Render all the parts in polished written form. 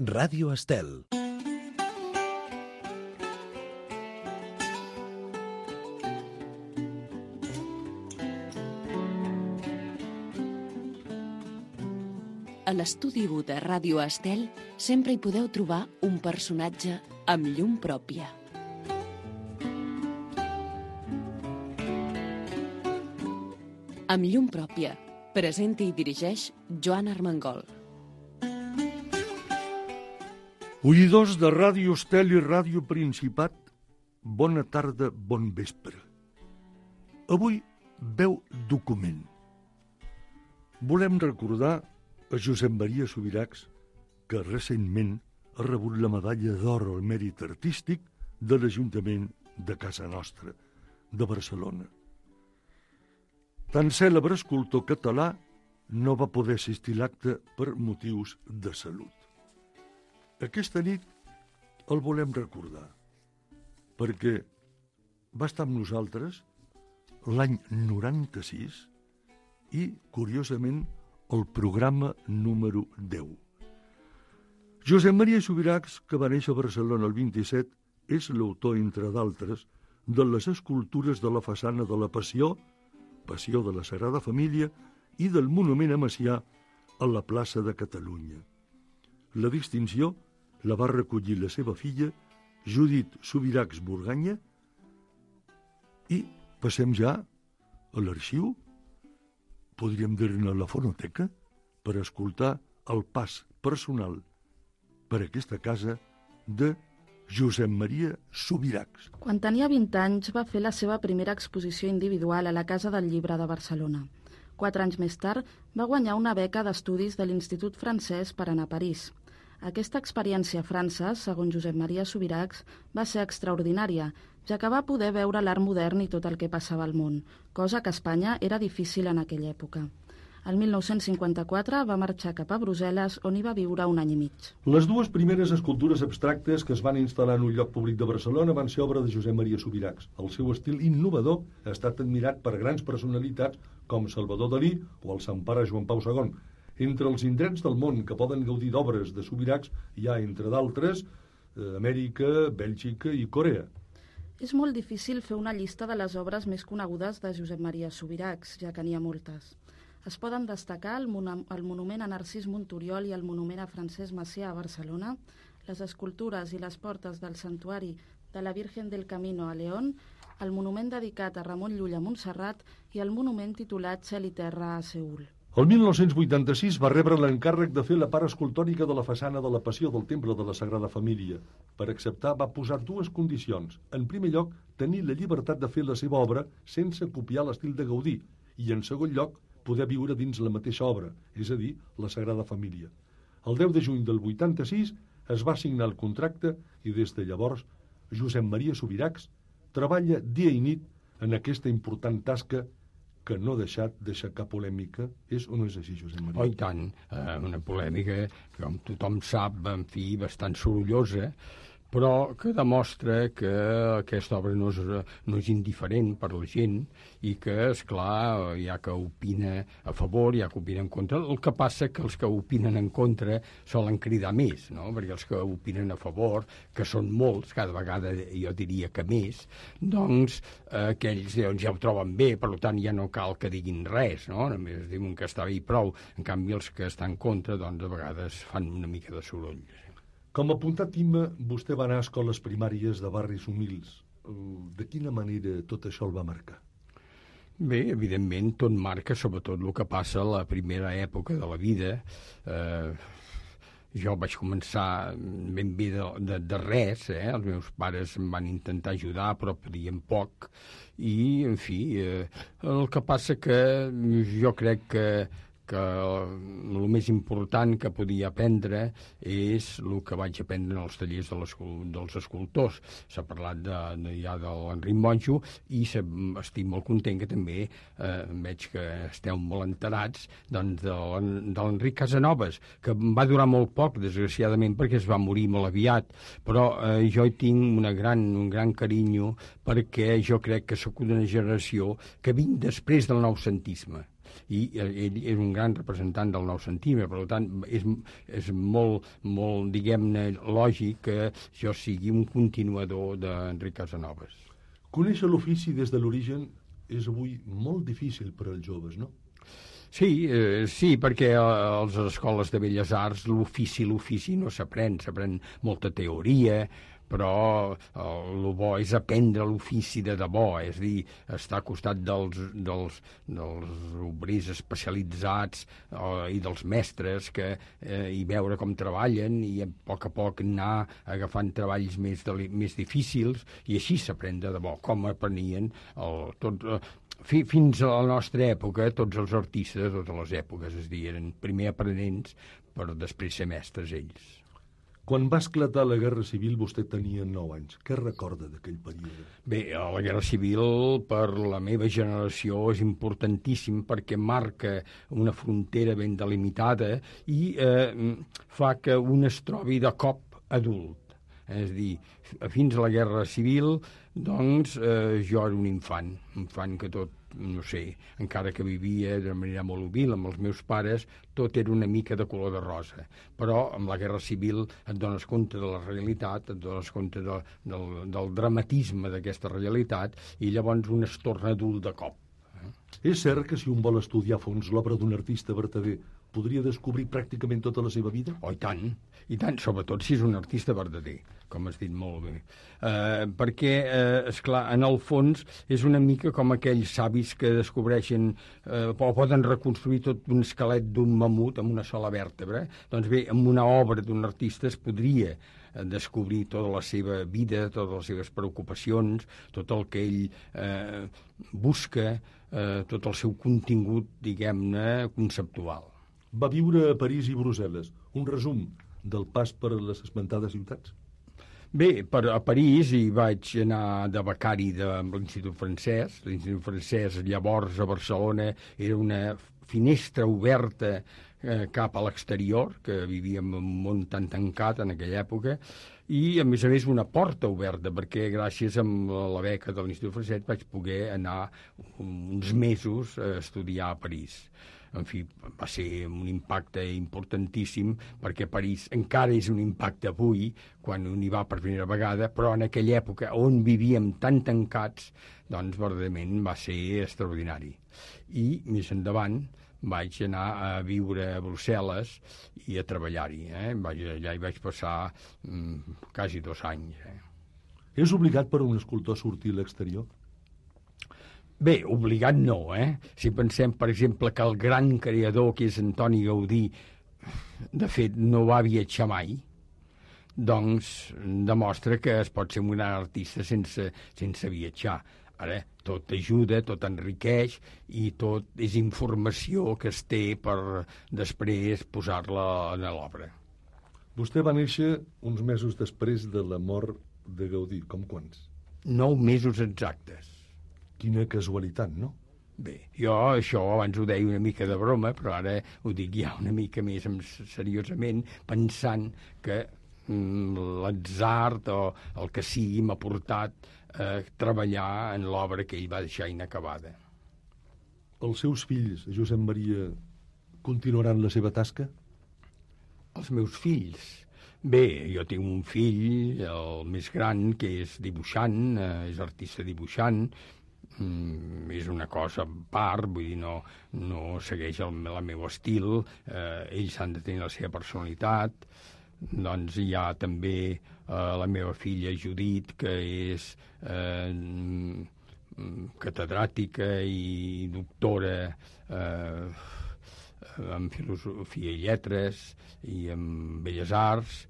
Ràdio Estel. A l'estudi 1 de Ràdio Estel sempre hi podeu trobar un personatge amb llum pròpia. Amb llum pròpia, presenta i dirigeix Joan Armengol. Oïdors de Ràdio Estel i Ràdio Principat, bona tarda, bon vespre. Avui veu document. Volem recordar a Josep Maria Subirachs, que recentment ha rebut la medalla d'or al mèrit artístic de l'Ajuntament de Casa Nostra, de Barcelona. Tan cèlebre escultor català no va poder assistir a l'acte per motius de salut. Aquesta nit el volem recordar, perquè va estar amb nosaltres l'any 96 i, curiosament, el programa número 10. Josep Maria Subirachs, que va néixer a Barcelona el 27, és l'autor, entre d'altres, de les escultures de la façana de la Passió, Passió de la Sagrada Família, i del monument a Macià a la plaça de Catalunya. La distinció la va recollir la seva filla, Judit Subirachs Burganya, i passem ja a l'arxiu, podríem dir-ne la fonoteca, per escoltar el pas personal per aquesta casa de Josep Maria Subirachs. Quan tenia 20 anys va fer la seva primera exposició individual a la Casa del Llibre de Barcelona. 4 anys més tard va guanyar una beca d'estudis de l'Institut Francès per anar a París. Aquesta experiència a França, segons Josep Maria Subirachs, va ser extraordinària, ja que va poder veure l'art modern i tot el que passava al món, cosa que a Espanya era difícil en aquella època. El 1954 va marxar cap a Brussel·les, on hi va viure un any i mig. Les dues primeres escultures abstractes que es van instal·lar en un lloc públic de Barcelona van ser obra de Josep Maria Subirachs. El seu estil innovador ha estat admirat per grans personalitats com Salvador Dalí o el Sant Pare Joan Pau II. Entre els indrets del món que poden gaudir d'obres de Subirachs hi ha, entre d'altres, Amèrica, Bèlgica i Corea. És molt difícil fer una llista de les obres més conegudes de Josep Maria Subirachs, ja que n'hi ha moltes. Es poden destacar el monument a Narcís Monturiol i el monument a Francesc Macià a Barcelona, les escultures i les portes del santuari de la Virgen del Camino a León, el monument dedicat a Ramon Llull a Montserrat i el monument titulat Cel i Terra a Seül. El 1986 va rebre l'encàrrec de fer la part escultòrica de la façana de la Passió del Temple de la Sagrada Família. Per acceptar va posar dues condicions. En primer lloc, tenir la llibertat de fer la seva obra sense copiar l'estil de Gaudí i, en segon lloc, poder viure dins la mateixa obra, és a dir, la Sagrada Família. El 10 de juny del 86 es va signar el contracte i des de llavors Josep Maria Subirachs treballa dia i nit en aquesta important tasca que no ha deixat d'aixecar polèmica. És o no és així, Josep Maria? Oh, i tant. Una polèmica que, com tothom sap, en fi, bastant sorollosa, però que demostra que aquesta obra no és indiferent per la gent i que, esclar, hi ha que opina a favor, hi ha que opina en contra. El que passa que els que opinen en contra solen cridar més, no? Perquè els que opinen a favor, que són molts, cada vegada jo diria que més, doncs aquells ja ho troben bé, per tant ja no cal que diguin res, no? Només diuen que està bé i prou. En canvi, els que estan en contra, doncs a vegades fan una mica de soroll. Com a apuntat Imma, vostè va anar a escoles primàries de barris humils. De quina manera tot això el va marcar? Bé, evidentment, tot marca, sobretot el que passa a la primera època de la vida. Jo vaig començar ben bé de res, Els meus pares em van intentar ajudar, però podien poc. I, en fi, el que passa que jo crec que el més important que podia aprendre és el que vaig aprendre en els tallers dels escultors. S'ha parlat ja de l'Enric Monjo i estic molt content que també veig que esteu molt enterats doncs, de l'Enric Casanovas, que va durar molt poc, desgraciadament, perquè es va morir molt aviat, però jo hi tinc un gran carinyo perquè jo crec que sóc una generació que vinc després del noucentisme. i ell és un gran representant del noucentisme, per tant, és molt, diguem-ne, lògic que jo sigui un continuador d'Enric Casanovas. Conèixer l'ofici des de l'origen és avui molt difícil per als joves, no? Sí, perquè a les escoles de Belles Arts l'ofici no s'aprèn molta teoria, però el bo és aprendre l'ofici de debò, és a dir, estar al costat dels obrers especialitzats i dels mestres i veure com treballen i a poc anar agafant treballs més difícils, i així s'aprèn de debò, com aprenien fins a la nostra època, tots els artistes de totes les èpoques, és a dir, eren primer aprenents per després ser mestres ells. Quan va esclatar la Guerra Civil vostè tenia 9 anys. Què recorda d'aquell període? Bé, la Guerra Civil per la meva generació és importantíssim perquè marca una frontera ben delimitada i fa que un es trobi de cop adult. És a dir, fins a la Guerra Civil, doncs, jo era un infant que tot, no sé, encara que vivia de manera molt humil amb els meus pares, tot era una mica de color de rosa. Però amb la Guerra Civil et dones compte de la realitat, et dones compte del dramatisme d'aquesta realitat, i llavors un es torna adult de cop. És cert que si un vol estudiar a fons l'obra d'un artista vertader podria descobrir pràcticament tota la seva vida? Oh, i tant, sobretot si és un artista verdader, com has dit molt bé. Perquè, esclar, en el fons és una mica com aquells savis que descobreixen o poden reconstruir tot un esquelet d'un mamut amb una sola vèrtebra. Doncs bé, amb una obra d'un artista es podria descobrir tota la seva vida, totes les seves preocupacions, tot el que ell busca, tot el seu contingut, diguem-ne, conceptual. Va viure a París i Brussel·les. Un resum del pas per les esmentades ciutats? Bé, a París hi vaig anar de becari de l'Institut Francès. L'Institut Francès llavors a Barcelona era una finestra oberta cap a l'exterior, que vivíem en un món tan tancat en aquella època, i a més una porta oberta, perquè gràcies a la beca de l'Institut Francès vaig poder anar uns mesos a estudiar a París. En fi, va ser un impacte importantíssim, perquè París encara és un impacte avui, quan un hi va per primera vegada, però en aquella època on vivíem tan tancats, doncs verdaderament va ser extraordinari. I més endavant vaig anar a viure a Brussel·les i a treballar-hi. Allà hi vaig passar quasi 2 anys. És obligat per un escultor sortir a l'exterior? Bé, obligat no, Si pensem, per exemple, que el gran creador, que és Antoni Gaudí, de fet, no va viatjar mai, doncs demostra que es pot ser un gran artista sense viatjar. Ara, tot ajuda, tot enriqueix i tot és informació que es té per després posar-la en l'obra. Vostè va néixer uns mesos després de la mort de Gaudí. Com quants? 9 mesos exactes. Quina casualitat, no? Bé, jo això abans ho deia una mica de broma, però ara ho dic ja una mica més seriosament, pensant que l'atzar o el que sigui m'ha portat a treballar en l'obra que ell va deixar inacabada. Els seus fills, Josep Maria, continuaran la seva tasca? Els meus fills? Bé, jo tinc un fill, el més gran, que és dibuixant, és artista dibuixant, és una cosa a part, vull dir, no segueix el meu estil, ells han de tenir la seva personalitat. Doncs hi ha també la meva filla Judit, que és catedràtica i doctora en filosofia i lletres i en belles arts.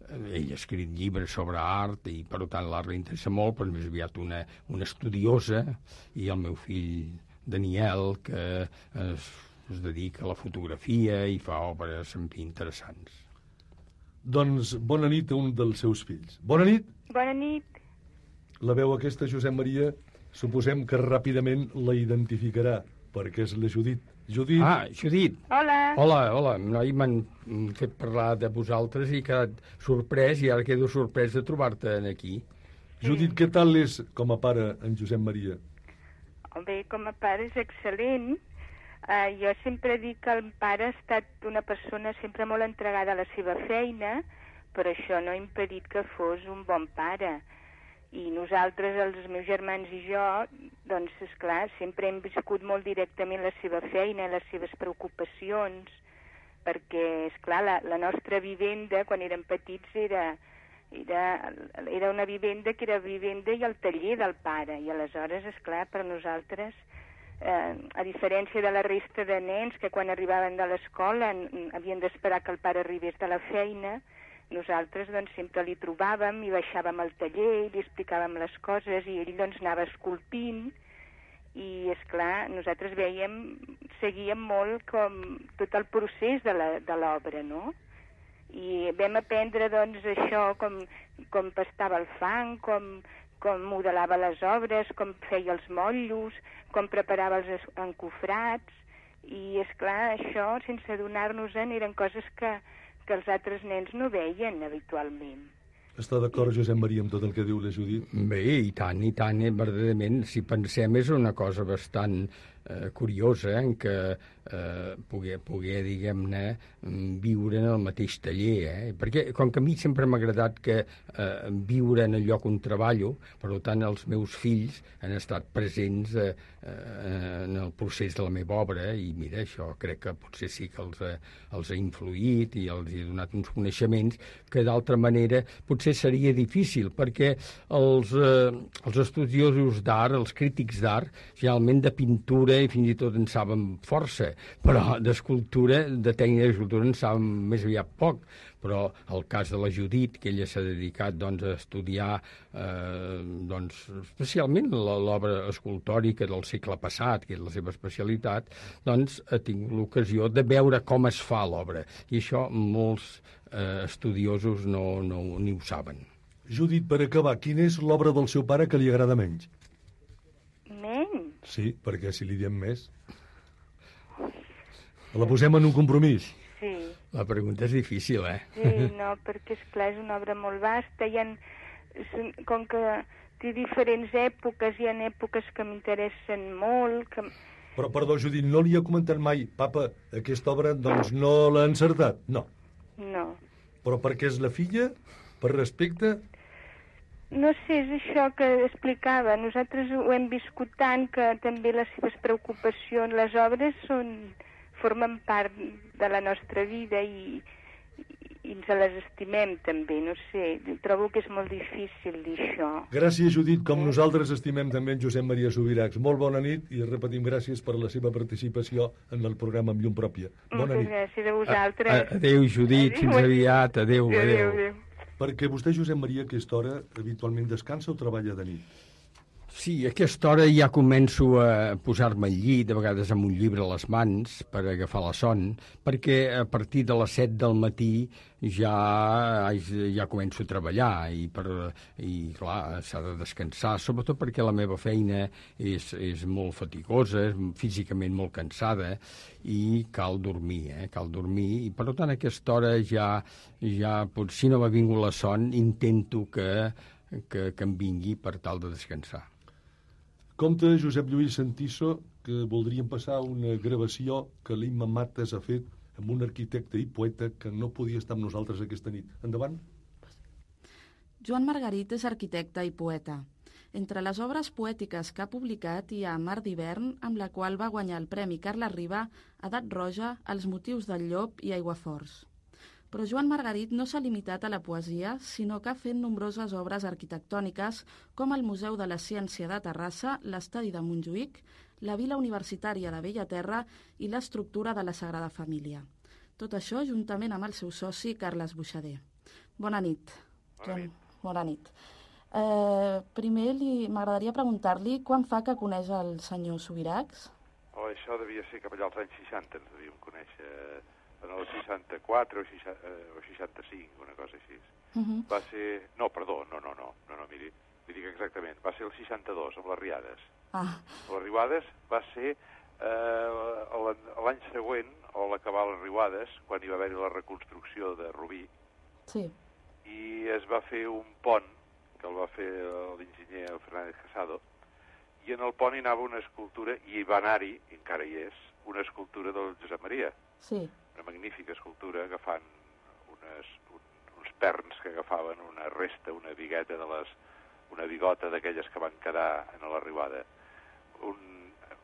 Ell ha escrit llibres sobre art i, per tant, l'art l'interessa molt, però més aviat una estudiosa, i el meu fill Daniel, que es dedica a la fotografia i fa obres, en fi, interessants. Doncs bona nit a un dels seus fills. Bona nit. Bona nit. La veu aquesta, Josep Maria, suposem que ràpidament la identificarà, perquè és la Judit. Judit. Ah, Judit. Hola. Hola. Noi, m'han fet parlar de vosaltres i he quedat sorprès, i ara quedo sorprès de trobar-te aquí. Judit, què tal és com a pare en Josep Maria? Bé, com a pare és excel·lent. Jo sempre dic que el pare ha estat una persona sempre molt entregada a la seva feina, però això no ha impedit que fos un bon pare. I nosaltres, els meus germans i jo, doncs, esclar, sempre hem viscut molt directament la seva feina, les seves preocupacions, perquè, esclar, la nostra vivenda, quan érem petits, era una vivenda que era vivenda i el taller del pare, i aleshores, esclar, per nosaltres, a diferència de la resta de nens que quan arribaven de l'escola havien d'esperar que el pare arribés de la feina, nosaltres doncs sempre li trobàvem i baixàvem al taller i li explicàvem les coses i ell doncs anava esculpint i, esclar, nosaltres seguíem molt com tot el procés de l'obra, no? I vam aprendre doncs això, com pastava el fang, com modelava les obres, com feia els motllos, com preparava els encofrats, i, esclar, això, sense adonar-nos-en, eren coses que els altres nens no veien habitualment. Està d'acord, Josep Maria, amb tot el que diu la Judit? Bé, i tant, verdaderament, si pensem, és una cosa bastant curiosa en què poder, diguem-ne, viure en el mateix taller, perquè com que a mi sempre m'ha agradat que viure en el lloc on treballo, per tant els meus fills han estat presents en el procés de la meva obra i mira, això crec que potser sí que els ha influït i els ha donat uns coneixements que d'altra manera potser seria difícil, perquè els estudiosos d'art, els crítics d'art, generalment de pintura i fins i tot en saben força, però d'escultura, de tècnica d'escultura en saben més aviat poc. Però el cas de la Judit, que ella s'ha dedicat doncs, a estudiar doncs, especialment l'obra escultòrica del segle passat, que és la seva especialitat, doncs ha tingut l'ocasió de veure com es fa l'obra. I això molts estudiosos no ni ho saben. Judit, per acabar, quina és l'obra del seu pare que li agrada menys? Menys? Sí, perquè si li diem més... La posem en un compromís? Sí. La pregunta és difícil, Sí, no, perquè, esclar, és una obra molt vasta. Com que té diferents èpoques, hi ha èpoques que m'interessen molt... Però, perdó, Judit, no li ha comentat mai, papa, aquesta obra, doncs, no l'ha encertat? No. No. Però perquè és la filla? Per respecte? No sé, és això que explicava. Nosaltres ho hem viscut tant que també les seves preocupacions, les obres formen part de la nostra vida i ens les estimem també, no sé. Trobo que és molt difícil dir això. Gràcies, Judit, com nosaltres estimem també en Josep Maria Subirachs. Molt bona nit i repetim gràcies per la seva participació en el programa Amb Llum Pròpia. Bona nit. Moltes gràcies a vosaltres. Adéu, Judit, fins aviat. Adéu. Perquè vostè, Josep Maria, a aquesta hora habitualment descansa o treballa de nit? Sí, a aquesta hora ja començo a posar-me al llit, a vegades amb un llibre a les mans per agafar la son, perquè a partir de les 7 del matí ja començo a treballar i clar, s'ha de descansar, sobretot perquè la meva feina és molt fatigosa, és físicament molt cansada i cal dormir, i per tant a aquesta hora ja si no m'ha vingut la son, intento que em vingui per tal de descansar. Compte Josep Lluís Santiso que voldríem passar una gravació que l'Imma Mates ha fet amb un arquitecte i poeta que no podia estar amb nosaltres aquesta nit. Endavant. Joan Margarit és arquitecte i poeta. Entre les obres poètiques que ha publicat hi ha Mar d'hivern, amb la qual va guanyar el Premi Carles Riba, Edat Roja, Els motius del llop i Aiguaforts. Però Joan Margarit no s'ha limitat a la poesia, sinó que ha fet nombroses obres arquitectòniques com el Museu de la Ciència de Terrassa, l'Estadi de Montjuïc, la Vila Universitària de Bellaterra i l'estructura de la Sagrada Família. Tot això juntament amb el seu soci Carles Buixader. Bona nit. Bona nit. Primer m'agradaria preguntar-li quan fa que coneix el senyor Subirachs? Això devia ser cap allà als anys 60, ens devíem conèixer... en el 64 o 65, una cosa així. Va ser... No, perdó, no, miri, li dic exactament. Va ser el 62, amb les Riades. Les Riuades va ser l'any següent, o l'acabar les Riuades, quan hi va haver la reconstrucció de Rubí. Sí. I es va fer un pont, que el va fer l'enginyer Fernández Casado, i en el pont hi anava una escultura, i va anar-hi, i encara hi és, una escultura del Josep Maria. Sí. Una magnífica escultura agafant uns perns que agafaven una resta, una bigueta una bigota d'aquelles que van quedar en l'arribada.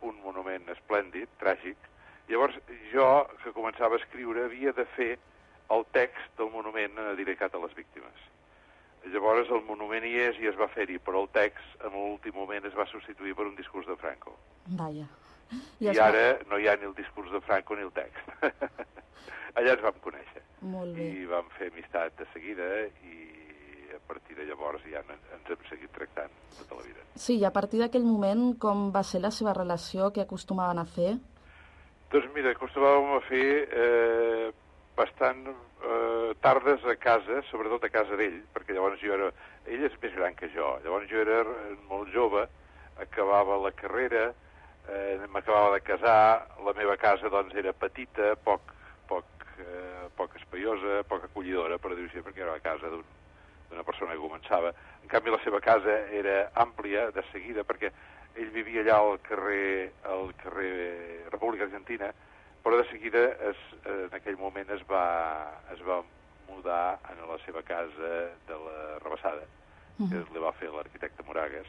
Un monument esplèndid, tràgic. Llavors, jo, que començava a escriure, havia de fer el text del monument dedicat a les víctimes. Llavors, el monument hi és i es va fer-hi, però el text, en l'últim moment, es va substituir per un discurs de Franco. Vaja. I ara no hi ha ni el discurs de Franco ni el text. Allà ens vam conèixer. Molt bé. I vam fer amistat de seguida i a partir de llavors ja ens hem seguit tractant tota la vida. Sí, i a partir d'aquell moment, com va ser la seva relació, què acostumaven a fer? Doncs mira, acostumàvem a fer bastant tardes a casa, sobretot a casa d'ell, perquè llavors ell és més gran que jo, llavors jo era molt jove, acabava la carrera, m'acabava de casar, la meva casa doncs era petita, poc espaiosa, poc acollidora, per dir-ho així, perquè era la casa d'una persona que començava. En canvi, la seva casa era àmplia, de seguida, perquè ell vivia allà al carrer República Argentina, però de seguida, en aquell moment, es va mudar a la seva casa de la Rabassada, que li va fer l'arquitecte Moragues,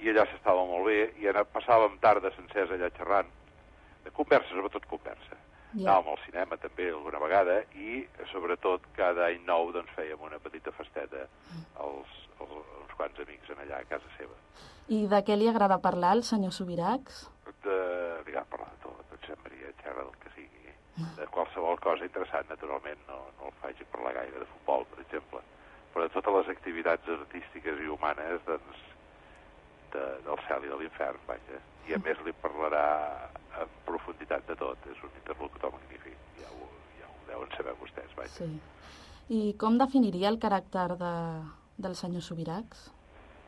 i allà s'estava molt bé, i passàvem tardes sencers allà xerrant, de conversa, sobretot conversa. Anàvem al cinema també alguna vegada i, sobretot, cada any nou doncs, fèiem una petita festeta uns quants amics allà a casa seva. I de què li agrada parlar al senyor Subirachs? Li agrada parlar de tot, Josep Maria, xerra del que sigui. De qualsevol cosa interessant, naturalment, no el faci parlar gaire de futbol, per exemple, però de totes les activitats artístiques i humanes, doncs, del cel i de l'infern, vaja. I a més li parlarà en profunditat de tot, és un interlocutor magnífic, ja ho deuen saber vostès, vaja. Sí. I com definiria el caràcter del senyor Subirachs?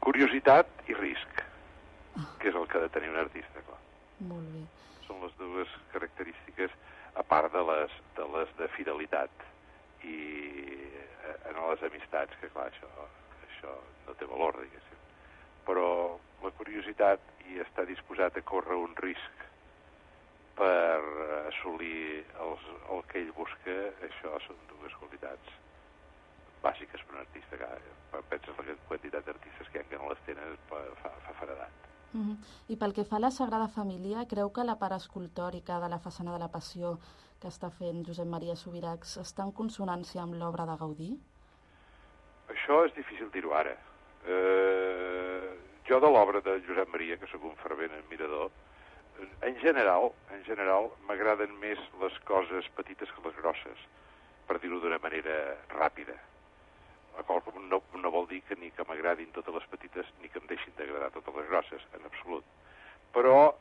Curiositat i risc, que és el que ha de tenir un artista, clar. Molt bé. Són les dues característiques, a part de les de fidelitat i en les amistats, que clar, això no té valor, diguéssim. Però la curiositat i estar disposat a córrer un risc per assolir el que ell busca, això són dues qualitats bàsiques per un artista. Penses la quantitat d'artistes que hi ha que no les tenen fa faredat. I pel que fa a la Sagrada Família, creu que la part escultòrica de la façana de la Passió que està fent Josep Maria Subirachs està en consonància amb l'obra de Gaudí? Això és difícil dir-ho ara. Jo de l'obra de Josep Maria, que sóc un fervent admirador, en general m'agraden més les coses petites que les grosses, per dir-ho d'una manera ràpida. No vol dir que ni que m'agradin totes les petites ni que em deixin d'agradar totes les grosses, en absolut. Però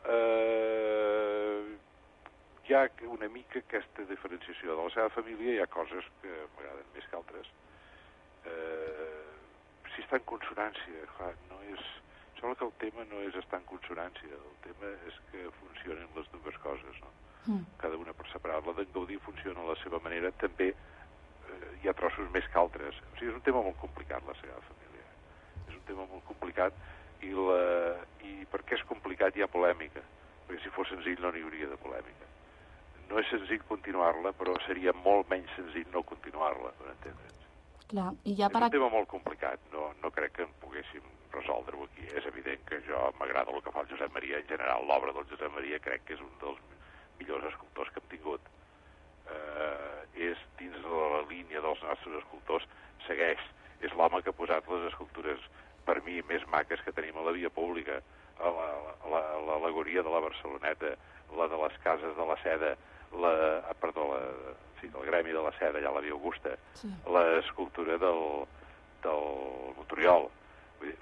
hi ha una mica aquesta diferenciació. De la seva família hi ha coses que m'agraden més que altres. Si està en consonància, clar, sembla que el tema no és estar en consonància, el tema és que funcionen les dues coses, no? Cada una per separat. La d'en Gaudí funciona a la seva manera, també hi ha trossos més que altres. O sigui, és un tema molt complicat, la Sagrada Família. És un tema molt complicat i per què és complicat hi ha polèmica, perquè si fos senzill no n'hi hauria de polèmica. No és senzill continuar-la, però seria molt menys senzill no continuar-la, per entendre'ns. Clar, i ja és un tema molt complicat, no crec que en poguéssim resoldre-ho aquí. És evident que m'agrada el que fa el Josep Maria, en general l'obra del Josep Maria crec que és un dels millors escultors que hem tingut. És dins de la línia dels nostres escultors, segueix, és l'home que ha posat les escultures per mi més maques que tenim a la via pública, l'al·legoria de la Barceloneta, la de les cases de la Seda, del Gremi de la Seda, allà a la Via Augusta, sí. L'escultura del Monturiol.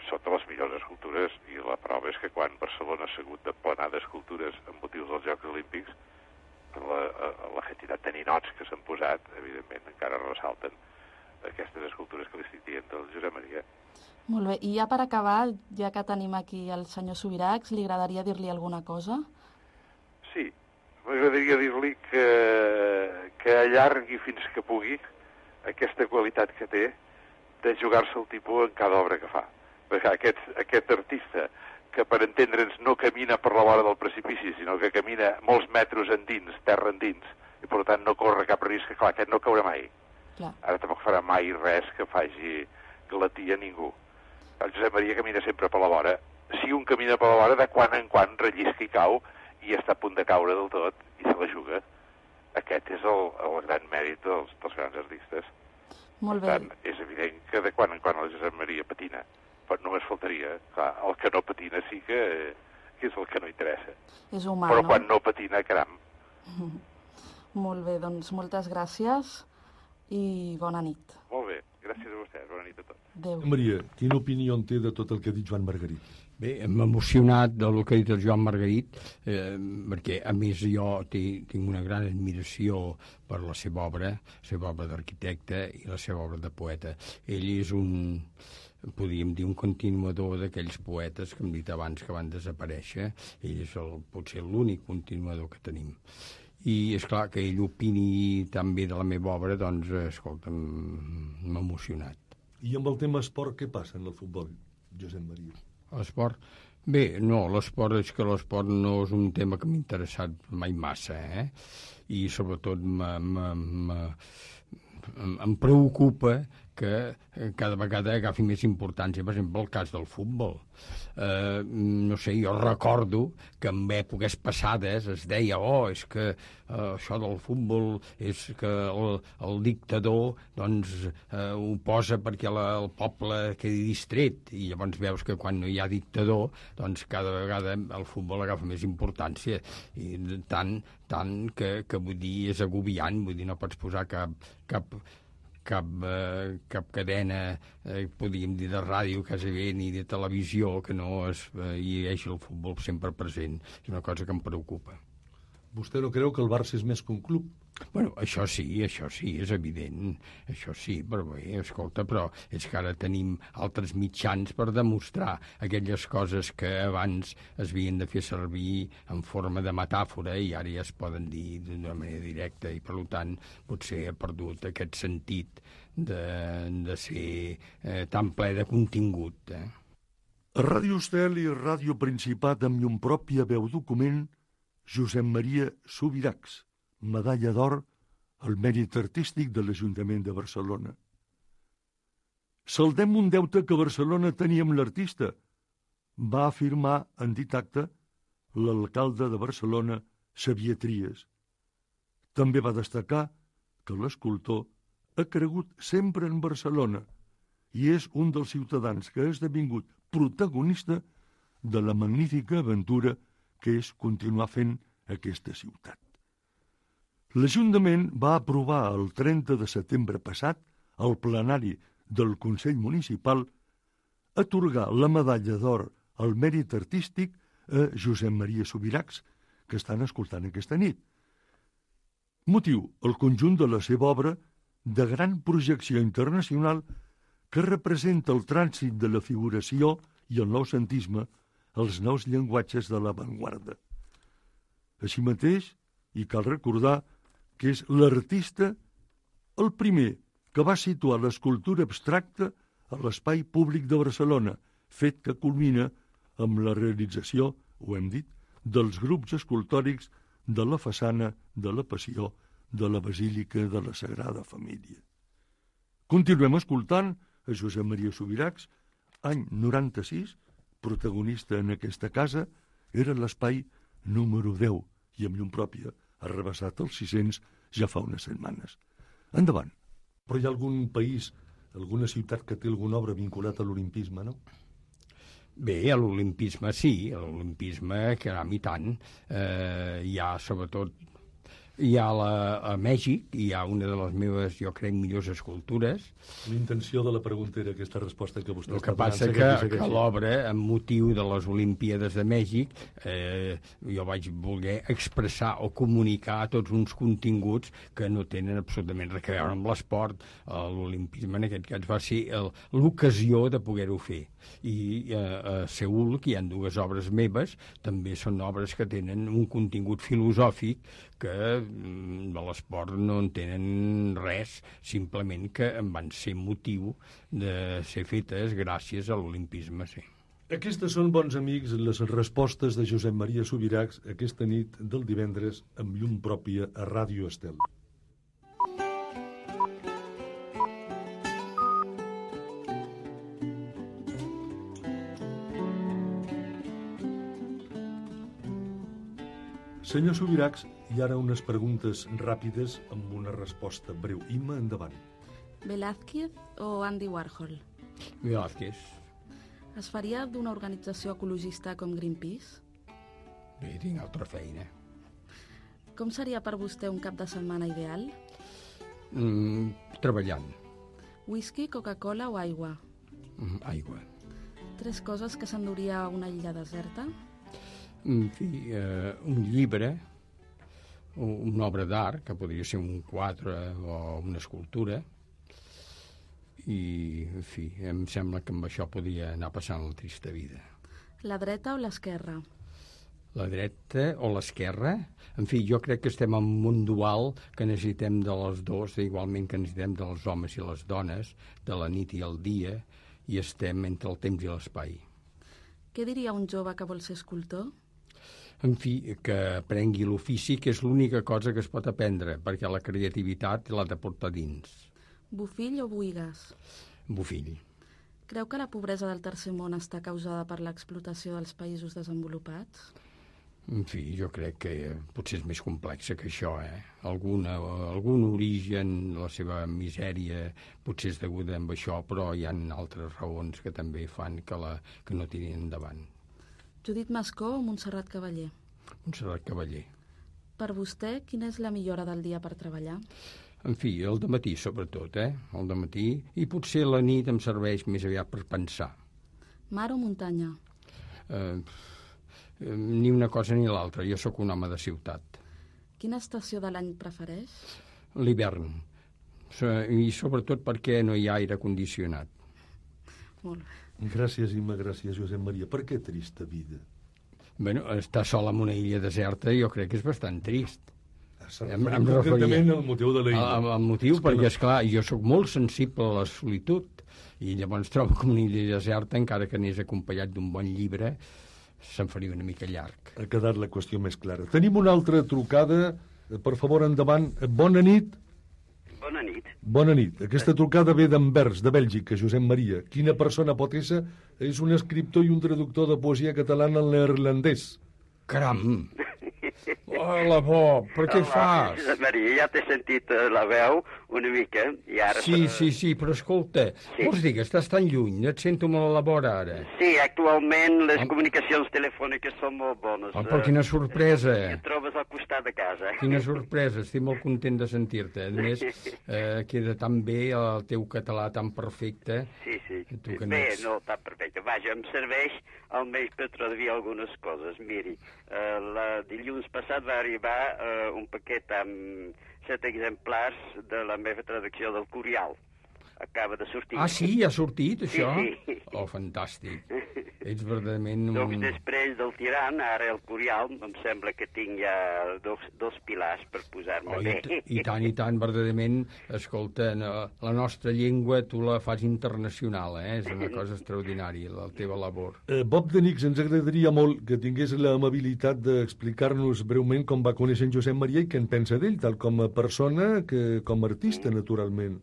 Són de les millors escultures i la prova és que quan Barcelona s'ha hagut de planar d'escultures amb motius dels Jocs Olímpics, la quantitat de ninots que s'han posat, evidentment, encara ressalten aquestes escultures que li estic dient del Josep Maria. Molt bé, i ja per acabar, ja que tenim aquí el senyor Subirachs, li agradaria dir-li alguna cosa? Sí, m'agradaria dir-li que allargui fins que pugui aquesta qualitat que té de jugar-se el tipus en cada obra que fa. Perquè aquest artista que per entendre'ns no camina per la vora del precipici, sinó que camina molts metres endins, terra endins, i per tant no corre cap risc, clar, aquest no caurà mai. Clar. Ara tampoc farà mai res que faci glatir a ningú. El Josep Maria camina sempre per la vora. Si un camina per la vora, de quan en quan rellisca i cau, i està a punt de caure del tot, i se la juga. Aquest és el gran mèrit dels grans artistes. Molt bé. Per tant, és evident que de quan en quan el Josep Maria patina. Però només faltaria. Clar, el que no patina sí que és el que no interessa. És humà, però no? Quan no patina, caram. Molt bé, doncs moltes gràcies i bona nit. Molt bé, gràcies a vostès, bona nit a tots. Adéu. Maria, quina opinió en té de tot el que ha dit Joan Margarit? Bé, m'ha emocionat del que ha dit el Joan Margarit, perquè, a més, jo tinc una gran admiració per la seva obra d'arquitecte i la seva obra de poeta. Ell és podríem dir, un continuador d'aquells poetes que hem dit abans que van desaparèixer. Ell és potser l'únic continuador que tenim. I és clar que ell opini tan bé de la meva obra, doncs, escolta, m'ha emocionat. I amb el tema esport, què passa en el futbol, Josep Maria? L'esport? Bé, no, l'esport és que l'esport no és un tema que m'ha interessat mai massa, I sobretot em preocupa que cada vegada agafi més importància, per exemple, el cas del futbol. No sé, jo recordo que en èpoques passades es deia és que això del futbol és que el dictador doncs ho posa perquè el poble quedi distret, i llavors veus que quan no hi ha dictador doncs cada vegada el futbol agafa més importància, i tant que vull dir, és agobiant, vull dir, no pots posar cap cadena, podríem dir, de ràdio quasi bé, ni de televisió, que no hi hagi el futbol sempre present. És una cosa que em preocupa. Vostè no creu que el Barça és més que un club? Bueno, això sí, és evident, això sí, però bé, escolta, però és que ara tenim altres mitjans per demostrar aquelles coses que abans es havien de fer servir en forma de metàfora i ara ja es poden dir d'una manera directa, i per tant potser ha perdut aquest sentit de ser tan ple de contingut. A Ràdio Estel i a Ràdio Principat, amb llum pròpia veu document, Josep Maria Subirachs, medalla d'or al mèrit artístic de l'Ajuntament de Barcelona. Saldem un deute que Barcelona tenia amb l'artista, va afirmar en dit acte l'alcalde de Barcelona, Xavier Trias. També va destacar que l'escultor ha cregut sempre en Barcelona i és un dels ciutadans que ha esdevingut protagonista de la magnífica aventura que és continuar fent aquesta ciutat. L'Ajuntament va aprovar el 30 de setembre passat, al plenari del Consell Municipal, atorgar la medalla d'or al mèrit artístic a Josep Maria Subirachs, que estan escoltant aquesta nit. Motiu, el conjunt de la seva obra de gran projecció internacional que representa el trànsit de la figuració i el noucentisme, els nous llenguatges de l'avantguarda. Així mateix, i cal recordar que és l'artista el primer que va situar l'escultura abstracta a l'espai públic de Barcelona, fet que culmina amb la realització, ho hem dit, dels grups escultòrics de la façana de la Passió de la Basílica de la Sagrada Família. Continuem escoltant a Josep Maria Subirachs, any 96, protagonista en aquesta casa, era l'espai número 10 i amb llum pròpia ha rebassat els 600 ja fa unes setmanes. Endavant. Però hi ha algun país, alguna ciutat que té alguna obra vinculat a l'olimpisme, no? Bé, a l'olimpisme sí, a l'olimpisme, caram, i tant. Hi ha, sobretot, hi ha a Mèxic, hi ha una de les meves, jo crec, millors escultures. L'intenció de la pregunta era aquesta resposta que vostè està donant. El que passa que l'obra, amb motiu de les Olimpíades de Mèxic, jo vaig voler expressar o comunicar tots uns continguts que no tenen absolutament res a veure amb l'esport. L'olimpisme, en aquest cas, va ser l'ocasió de poder-ho fer. I a Seül, que hi ha dues obres meves, també són obres que tenen un contingut filosòfic que de l'esport no en tenen res, simplement que en van ser motiu de ser fetes gràcies a l'olimpisme, sí. Aquestes són, bons amics, les respostes de Josep Maria Subirachs aquesta nit del divendres amb llum pròpia a Ràdio Estel. Senyor Subirachs, hi ara unes preguntes ràpides amb una resposta breu. Imma, endavant. Velázquez o Andy Warhol? Velázquez. Es faria d'una organització ecologista com Greenpeace? Bé, tinc altra feina. Com seria per vostè un cap de setmana ideal? Treballant. Whisky, Coca-Cola o aigua? Aigua. 3 coses que s'enduria a una illa deserta? En fi, un llibre, una obra d'art, que podria ser un quadre o una escultura, i, en fi, em sembla que amb això podria anar passant la trista vida. La dreta o l'esquerra? La dreta o l'esquerra? En fi, jo crec que estem en un món dual que necessitem de les dues, igualment que necessitem dels homes i les dones, de la nit i el dia, i estem entre el temps i l'espai. Què diria un jove que vol ser escultor? En fi, que aprengui l'ofici, que és l'única cosa que es pot aprendre, perquè la creativitat l'ha de portar dins. Bofill o Buigas? Bofill. Creu que la pobresa del tercer món està causada per l'explotació dels països desenvolupats? En fi, jo crec que potser és més complexa que això, algun origen, la seva misèria, potser és deguda amb això, però hi ha altres raons que també fan que no tirin endavant. Judit Mascó o Montserrat Cavaller? Montserrat Cavaller. Per vostè, quina és la millor hora del dia per treballar? En fi, el dematí, sobretot, el dematí, i potser la nit em serveix més aviat per pensar. Mar o muntanya? Ni una cosa ni l'altra, jo sóc un home de ciutat. Quina estació de l'any prefereix? L'hivern, i sobretot perquè no hi ha aire condicionat. Molt bé. Gràcies, Imma, gràcies, Josep Maria. Per què trista vida? Bueno, estar sol en una illa deserta jo crec que és bastant trist. Em referia al motiu de la illa. Al motiu, perquè, esclar, jo sóc molt sensible a la solitud, i llavors trobo que una illa deserta, encara que anés acompanyat d'un bon llibre, se'n faria una mica llarg. Ha quedat la qüestió més clara. Tenim una altra trucada. Per favor, endavant. Bona nit. Bona nit. Bona nit. Aquesta trucada ve d'Anvers, de Bèlgica, Josep Maria. Quina persona pot ésser? És un escriptor i un traductor de poesia catalana al neerlandès. Caram! Hola, Bob, per què fas? Josep Maria, ja t'he sentit la veu una mica, i ara... Sí, però escolta, vols dir que estàs tan lluny? Et sento molt a la vora, ara. Sí, actualment les comunicacions telefòniques són molt bones. Però quina sorpresa! Et trobes al costat de casa. Quina sorpresa, estic molt content de sentir-te. A més, queda tan bé el teu català tan perfecte. Sí. Bé, no tan perfecte. Vaja, em serveix almenys per traduir algunes coses. Miri, dilluns passat va arribar un paquet amb 7 exemplars de la meva traducció del Curial. Acaba de sortir. Ah, sí? Ha sortit, això? Sí. Oh, fantàstic. Ets verdaderament... Doncs després del Tirant, ara el Curial, em sembla que tinc ja dos pilars per posar-me bé. I tant, verdaderament, escolta, la nostra llengua tu la fas internacional, És una cosa extraordinària, la teva labor. Bob de Nix, ens agradaria molt que tingués l'amabilitat d'explicar-nos breument com va conèixer en Josep Maria i què en pensa d'ell, tal com a persona que com a artista, naturalment.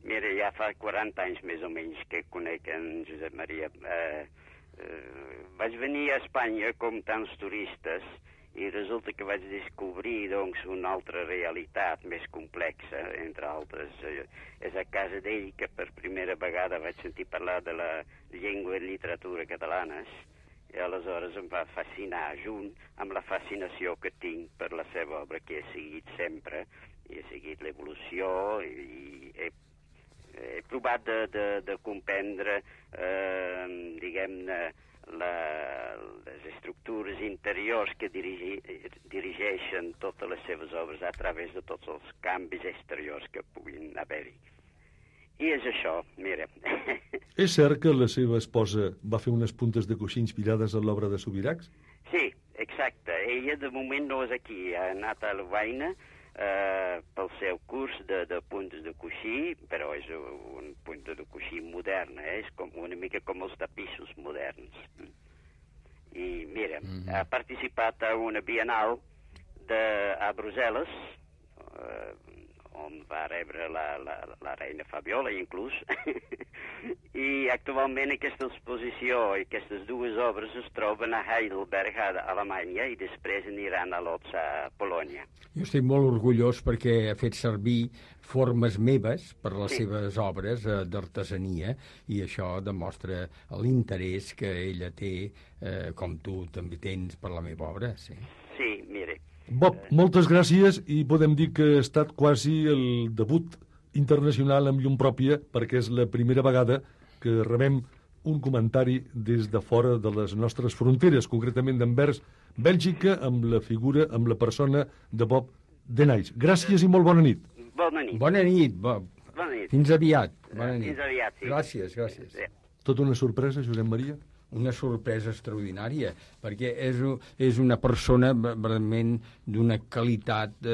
Mira, ja fa 40 anys més o menys que conec en Josep Maria. Vaig venir a Espanya com tants turistes i resulta que vaig descobrir doncs, una altra realitat més complexa, entre altres. És a casa d'ell que per primera vegada vaig sentir parlar de la llengua i literatura catalanes i aleshores em va fascinar, junt amb la fascinació que tinc per la seva obra, que he seguit sempre, i he seguit l'evolució i he provat de comprendre, diguem-ne, les estructures interiors que dirigeixen totes les seves obres a través de tots els canvis exteriors que puguin haver-hi. I és això, mira. És cert que la seva esposa va fer unes puntes de coixí inspirades en l'obra de Subirachs? Sí, exacte. Ella de moment no és aquí. Ha anat a Lovaina pel seu curs de puntes de coixí, però és un punta de coixí modern, és una mica com els tapissos moderns. I mira, ha participat a una bienal a Brussel·les, on va rebre la reina Fabiola, inclús, i actualment aquesta exposició i aquestes dues obres es troben a Heidelberg, a Alemanya, i després aniran a Lodz, a Polònia. Jo estic molt orgullós perquè ha fet servir formes meves per les seves obres d'artesania, i això demostra l'interès que ella té, com tu també tens per la meva obra. Sí, mire. Bob, moltes gràcies, i podem dir que ha estat quasi el debut internacional amb llum pròpia, perquè és la primera vegada que rebem un comentari des de fora de les nostres fronteres, concretament d'Anvers, Bèlgica, amb la figura, amb la persona de Bob Denys. Gràcies i molt bona nit. Bona nit. Bona nit, Bob. Bona nit. Fins aviat. Bona nit. Fins aviat, sí. Gràcies. Tota una sorpresa, Josep Maria? Una sorpresa extraordinària, perquè és una persona realment d'una qualitat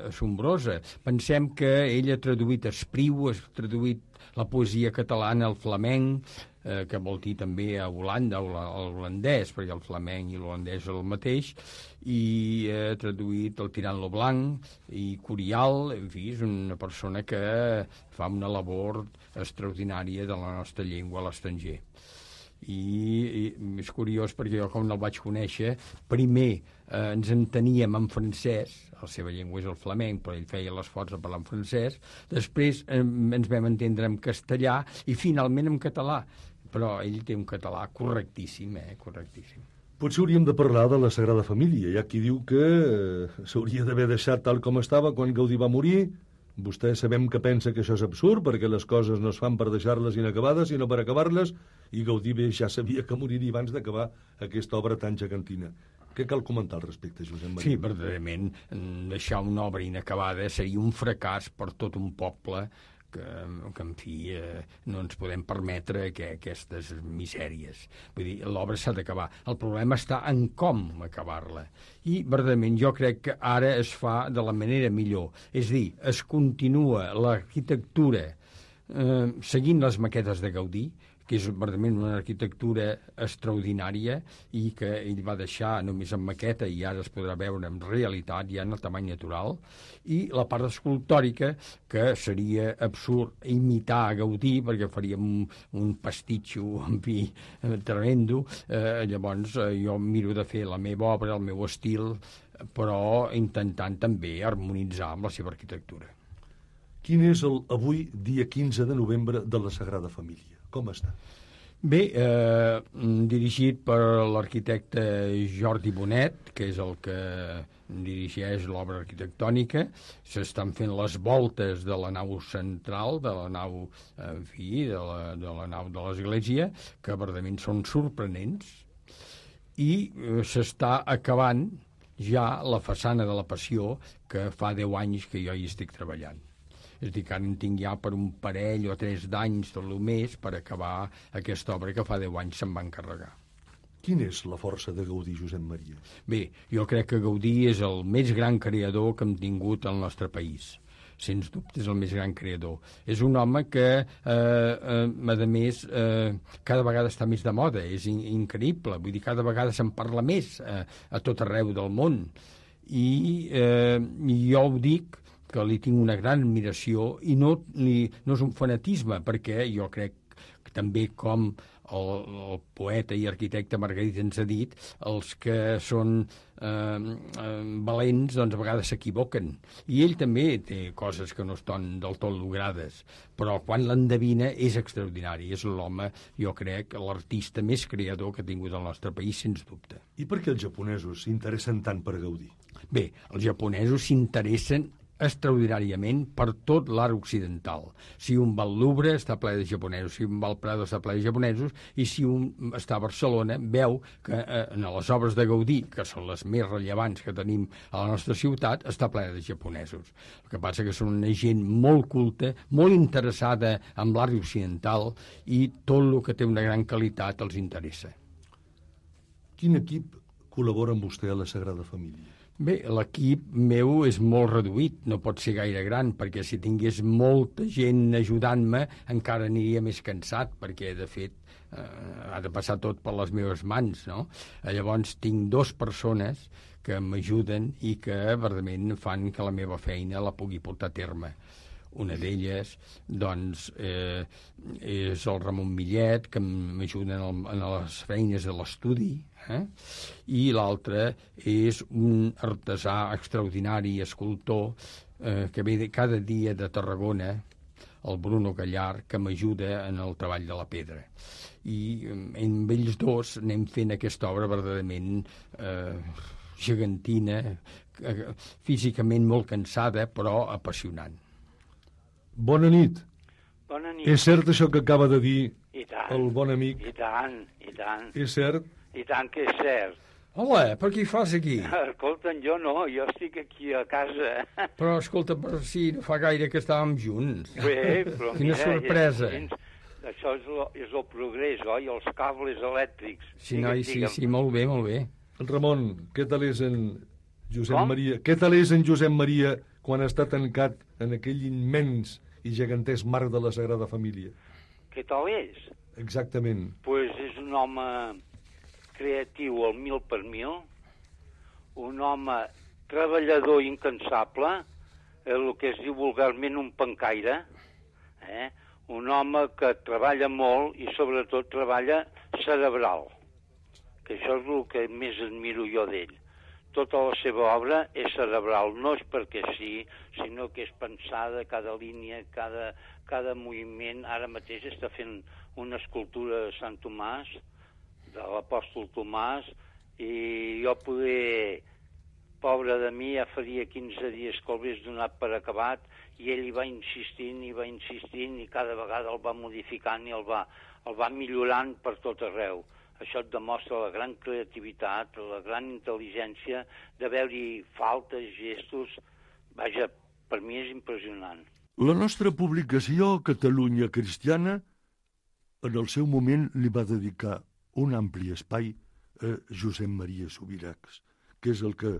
assombrosa. Pensem que ell ha traduït Espriu, ha traduït la poesia catalana al flamenc, que vol dir també a Holanda, al holandès, perquè el flamenc i l'holandès és el mateix, i ha traduït el Tirant lo Blanc i Curial. En fi, és una persona que fa una labor extraordinària de la nostra llengua a l'estranger. I és curiós perquè jo, com no el vaig conèixer, primer ens enteníem en francès, la seva llengua és el flamenc, però ell feia l'esforç de parlar en francès, després ens vam entendre en castellà i finalment en català, però ell té un català correctíssim, correctíssim. Potser hauríem de parlar de la Sagrada Família. Hi ha qui diu que s'hauria d'haver deixat tal com estava quan Gaudí va morir. Vostè sabem que pensa que això és absurd, perquè les coses no es fan per deixar-les inacabades, sinó per acabar-les, i Gaudí bé ja sabia que moriria abans d'acabar aquesta obra tan gegantina. Què cal comentar al respecte, Josep Maria? Sí, verdaderament, deixar una obra inacabada seria un fracàs per tot un poble que en fi, no ens podem permetre aquestes misèries. Vull dir, l'obra s'ha d'acabar. El problema està en com acabar-la. I, verdaderament, jo crec que ara es fa de la manera millor. És a dir, es continua l'arquitectura seguint les maquetes de Gaudí, que és verdaderament una arquitectura extraordinària i que ell va deixar només en maqueta i ara es podrà veure en realitat, ja en el tamany natural, i la part escultòrica, que seria absurd imitar a Gaudí, perquè faríem un pastitxo, en fi, tremendo. Llavors jo miro de fer la meva obra, el meu estil, però intentant també harmonitzar amb la seva arquitectura. Quin és el avui, dia 15 de novembre, de la Sagrada Família? Com està? Bé, dirigit per l'arquitecte Jordi Bonet, que és el que dirigeix l'obra arquitectònica. S'estan fent les voltes de la nau central, de la nau, en fi, de la nau de l'església, que verdaderament són sorprenents, i s'està acabant ja la façana de la Passió, que fa 10 anys que jo hi estic treballant. És a dir, que ara en tinc ja per un parell o 3 d'anys, tot el més, per acabar aquesta obra que fa 10 anys se'n va encarregar. Quina és la força de Gaudí, Josep Maria? Bé, jo crec que Gaudí és el més gran creador que hem tingut al nostre país. Sens dubte és el més gran creador. És un home que, a més, cada vegada està més de moda. És increïble. Vull dir, cada vegada se'n parla més a tot arreu del món. I jo ho dic, que li tinc una gran admiració, i no és un fanatisme, perquè jo crec que també, com el poeta i arquitecte Margarit ens ha dit, els que són valents, doncs a vegades s'equivoquen. I ell també té coses que no estan del tot logrades, però quan l'endevina és extraordinari. És l'home, jo crec, l'artista més creador que ha tingut el nostre país, sens dubte. I per què els japonesos s'interessen tant per Gaudí? Bé, els japonesos s'interessen extraordinàriament per tot l'art occidental. Si un va al Louvre està ple de japonesos, si un va al Prado està ple de japonesos, i si un està a Barcelona veu que en les obres de Gaudí, que són les més rellevants que tenim a la nostra ciutat, està ple de japonesos. El que passa que són una gent molt culta, molt interessada en l'art occidental, i tot el que té una gran qualitat els interessa. Quin equip col·labora amb vostè a la Sagrada Família? Bé, l'equip meu és molt reduït, no pot ser gaire gran, perquè si tingués molta gent ajudant-me encara aniria més cansat, perquè, de fet, ha de passar tot per les meves mans, no? Llavors tinc 2 persones que m'ajuden i que, verdament, fan que la meva feina la pugui portar a terme. Una d'elles, doncs, és el Ramon Millet, que m'ajuda en les feines de l'estudi, i l'altre és un artesà extraordinari, escultor, que ve cada dia de Tarragona, el Bruno Gallar, que m'ajuda en el treball de la pedra. I amb ells 2 anem fent aquesta obra verdaderament gegantina, físicament molt cansada, però apassionant. Bona nit. Bona nit. És cert això que acaba de dir el bon amic? I tant, i tant. És cert? I tant que és cert. Hola, per què hi fas aquí? Escolta'm, jo no, jo estic aquí a casa. Però, escolta, per si no fa gaire que estàvem junts. Bé, però quina sorpresa. Això és el progrés, oi? Els cables elèctrics. Sí, noi, sí, molt bé, molt bé. Ramon, què tal és en Josep Maria? Què tal és en Josep Maria quan està tancat en aquell immens i gegantesc marc de la Sagrada Família? Què tal és? Exactament. Pues és un home creatiu al 1000%, un home treballador i incansable, el que es diu vulgarment un pencaire, un home que treballa molt i sobretot treballa cerebral, que això és el que més admiro jo d'ell. Tota la seva obra és cerebral, no és perquè sí, sinó que és pensada, cada línia, cada moviment. Ara mateix està fent una escultura de Sant Tomàs, de l'apòstol Tomàs, i jo pobre de mi, ja faria 15 dies que el hagués donat per acabat, i ell hi va insistint, i cada vegada el va modificant i el va millorant per tot arreu. Això et demostra la gran creativitat, la gran intel·ligència, de veure-hi faltes, gestos. Vaja, per mi és impressionant. La nostra publicació, Catalunya Cristiana, en el seu moment li va dedicar un ampli espai a Josep Maria Subirachs, que és el que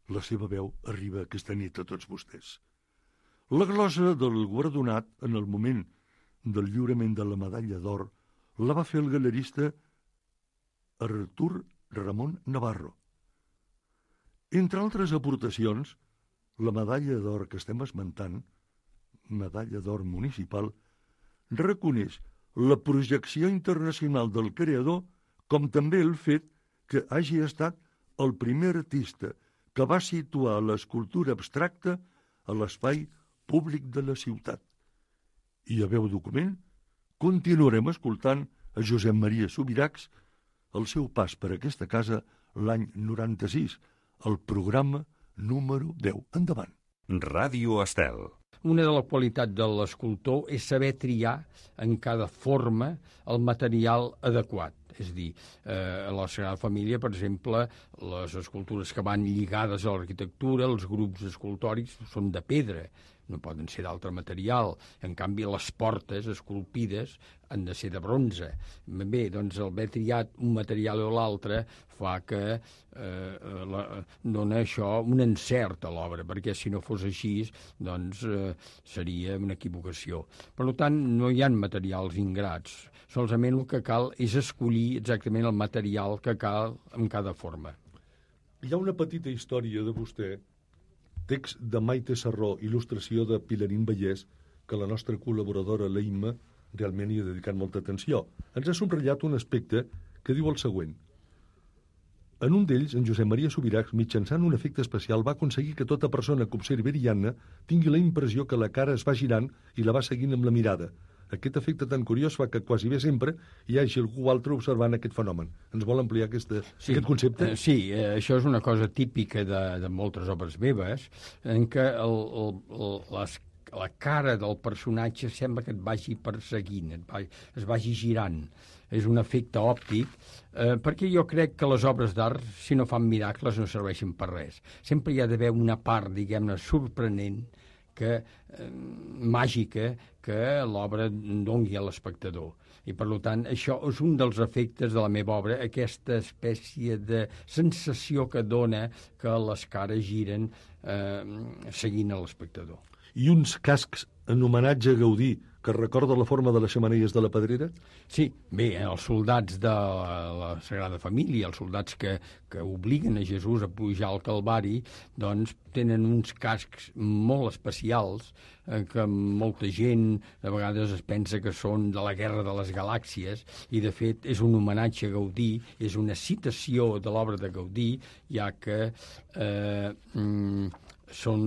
la seva veu arriba aquesta nit a tots vostès. La glosa del guardonat, en el moment del lliurament de la medalla d'or, la va fer el galerista Artur Ramon Navarro. Entre altres aportacions, la medalla d'or que estem esmentant, medalla d'or municipal, reconeix la projecció internacional del creador, com també el fet que hagi estat el primer artista que va situar l'escultura abstracta a l'espai públic de la ciutat. I a veu document continuarem escoltant a Josep Maria Subirachs el seu pas per aquesta casa l'any 96, el programa número 10. Endavant. Ràdio Estel. Una de les qualitats de l'escultor és saber triar en cada forma el material adequat. És a dir, a la Sagrada Família, per exemple, les escultures que van lligades a l'arquitectura, els grups escultòrics són de pedra, no poden ser d'altre material. En canvi, les portes esculpides han de ser de bronze. Bé, doncs el haver triat un material o l'altre fa que dona això un encert a l'obra, perquè si no fos així, doncs seria una equivocació. Per tant, no hi ha materials ingrats. Solament el que cal és escollir exactament el material que cal en cada forma. Hi ha una petita història de vostè, text de Maite Sarró, il·lustració de Pilarín Vallès, que la nostra col·laboradora, l'Eimma, realment hi ha dedicat molta atenció. Ens ha subratllat un aspecte que diu el següent. En un d'ells, en Josep Maria Subirachs, mitjançant un efecte especial, va aconseguir que tota persona que observi Ariadna tingui la impressió que la cara es va girant i la va seguint amb la mirada. Aquest efecte tan curiós fa que quasi bé sempre hi hagi algú altre observant aquest fenomen. Ens vol ampliar aquest concepte? Sí, això és una cosa típica de moltes obres meves, en què la cara del personatge sembla que et vagi perseguint, es vagi girant. És un efecte òptic, perquè jo crec que les obres d'art, si no fan miracles, no serveixen per res. Sempre hi ha d'haver una part, diguem-ne, sorprenent, màgica que l'obra doni a l'espectador. I, per tant, això és un dels efectes de la meva obra, aquesta espècie de sensació que dona que les cares giren seguint a l'espectador. I uns cascs en homenatge a Gaudí que recorda la forma de les xemeneies de la Pedrera? Sí, bé, els soldats de la Sagrada Família, els soldats que obliguen a Jesús a pujar al Calvari, doncs tenen uns cascs molt especials que molta gent a vegades es pensa que són de la Guerra de les Galàxies, i de fet és un homenatge a Gaudí, és una citació de l'obra de Gaudí, ja que són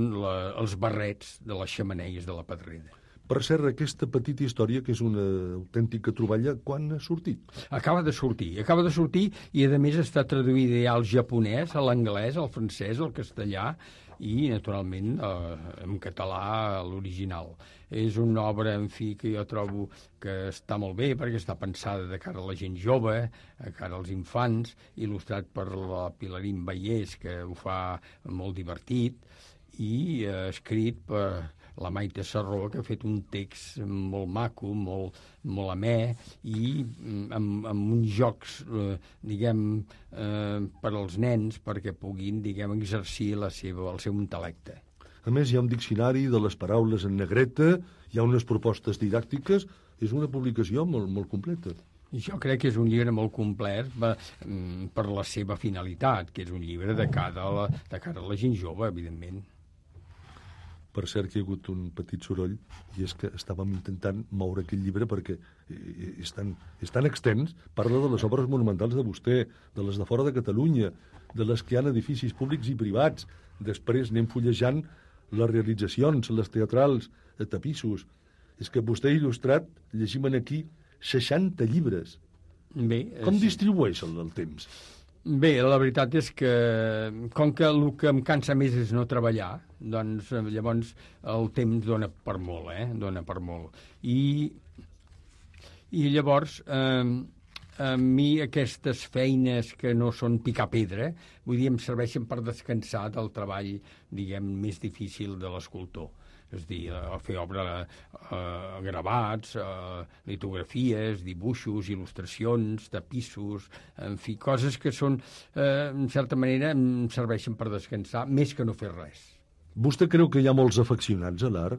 els barrets de les xemeneies de la Pedrera. Per cert, aquesta petita història, que és una autèntica troballa, quan ha sortit? Acaba de sortir i, a més, està traduïda ja al japonès, a l'anglès, al francès, al castellà i, naturalment, en català, l'original. És una obra, en fi, que jo trobo que està molt bé perquè està pensada de cara a la gent jove, de cara als infants, il·lustrat per la Pilarín Vallès, que ho fa molt divertit, i escrit per la Maite Sarró, que ha fet un text molt maco, molt amè, i amb uns jocs, per als nens, perquè puguin, exercir el seu intel·lecte. A més, hi ha un diccionari de les paraules en negreta, hi ha unes propostes didàctiques, és una publicació molt completa. Jo crec que és un llibre molt complet per la seva finalitat, que és un llibre de cara a la gent jove, evidentment. Per cert, que hi ha hagut un petit soroll, i és que estàvem intentant moure aquell llibre perquè és tan extens, parla de les obres monumentals de vostè, de les de fora de Catalunya, de les que hi ha edificis públics i privats. Després anem fullejant les realitzacions, les teatrals, tapissos. És que vostè ha il·lustrat, llegim aquí, 60 llibres. Bé, com distribueix el temps? Bé, la veritat és que, com que el que em cansa més és no treballar, doncs llavors el temps dona per molt, dona per molt. I llavors, a mi aquestes feines que no són picar pedra, vull dir, em serveixen per descansar del treball, més difícil de l'escultor. És a dir, fer gravats, litografies, dibuixos, il·lustracions, tapissos, en fi, coses que són, en certa manera, em serveixen per descansar, més que no fer res. Vostè creu que hi ha molts afeccionats a l'art?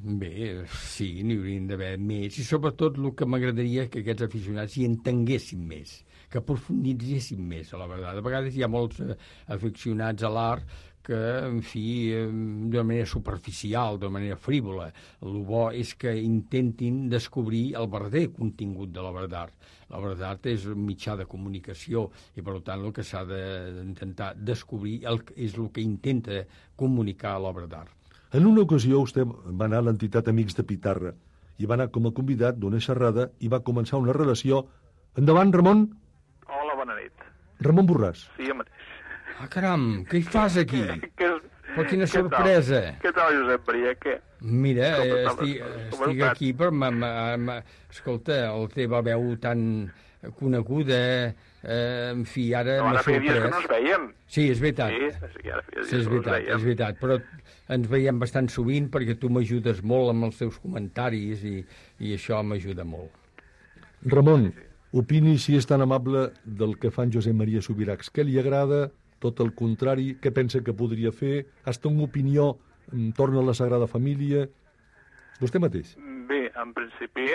Bé, sí, n'hi haurien d'haver més, i sobretot el que m'agradaria que aquests aficionats hi entenguessin més, que profunditzessin més, a la veritat. A vegades hi ha molts aficionats a l'art que, en fi, d'una manera superficial, d'una manera frívola. El bo és que intentin descobrir el verdader contingut de l'obra d'art. L'obra d'art és un mitjà de comunicació i, per tant, el que s'ha d'intentar descobrir és el que intenta comunicar l'obra d'art. En una ocasió vostè va anar a l'entitat Amics de Pitarra i va anar com a convidat d'una xerrada i va començar una relació. Endavant, Ramon. Hola, bona nit. Ramon Borràs. Sí, jo mateix. Ah, caram, què hi fas aquí? Però quina sorpresa. Què tal, Josep Maria? Què? Mira, estic aquí, però escolta, la teva veu tan coneguda, en fi, ara m'ha sorprès. Ara feia dies que no ens veiem. Sí, és veritat. Sí, ara feia dies que no ens veiem. És veritat, però ens veiem bastant sovint perquè tu m'ajudes molt amb els teus comentaris i això m'ajuda molt. Ramon, opini, si és tan amable, del que fa en Josep Maria Subirachs. Què li agrada? Tot el contrari, què pensa que podria fer? Has té una opinió entorn a la Sagrada Família? Vostè mateix. Bé, en principi,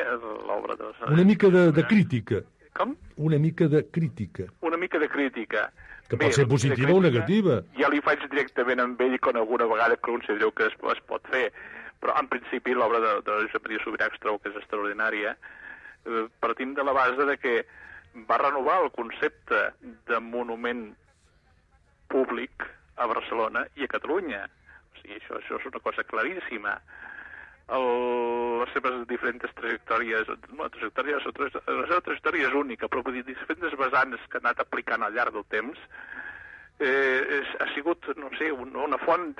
l'obra de... Una mica de crítica. Com? Una mica de crítica. Una mica de crítica. Que pot ser positiva o negativa. Ja li faig directament amb ell quan alguna vegada considereu que es pot fer. Però, en principi, l'obra de Josep Maria Subirachs trobo que és extraordinària. Partim de la base de que va renovar el concepte de monument públic a Barcelona i a Catalunya. O sigui, això és una cosa claríssima. Les seves diferents trajectòries, la seva trajectòria és única, però diferents vessants que ha anat aplicant al llarg del temps, ha sigut, no sé, una font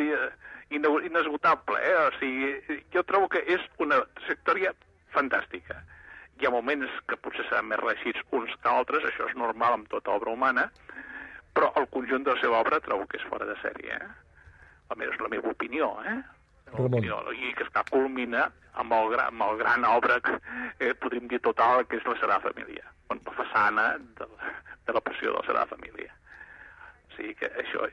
inesgotable. O sigui, jo trobo que és una trajectòria fantàstica. Hi ha moments que potser seran més reeixits uns que altres, això és normal amb tota obra humana, però el conjunt de la seva obra trobo que és fora de sèrie. almenys la meva opinió, Ramon. I que esclar culmina amb el gran obra, podríem dir total, que és la Sagrada Família, la façana de la Passió de la Sagrada Família. O sigui que això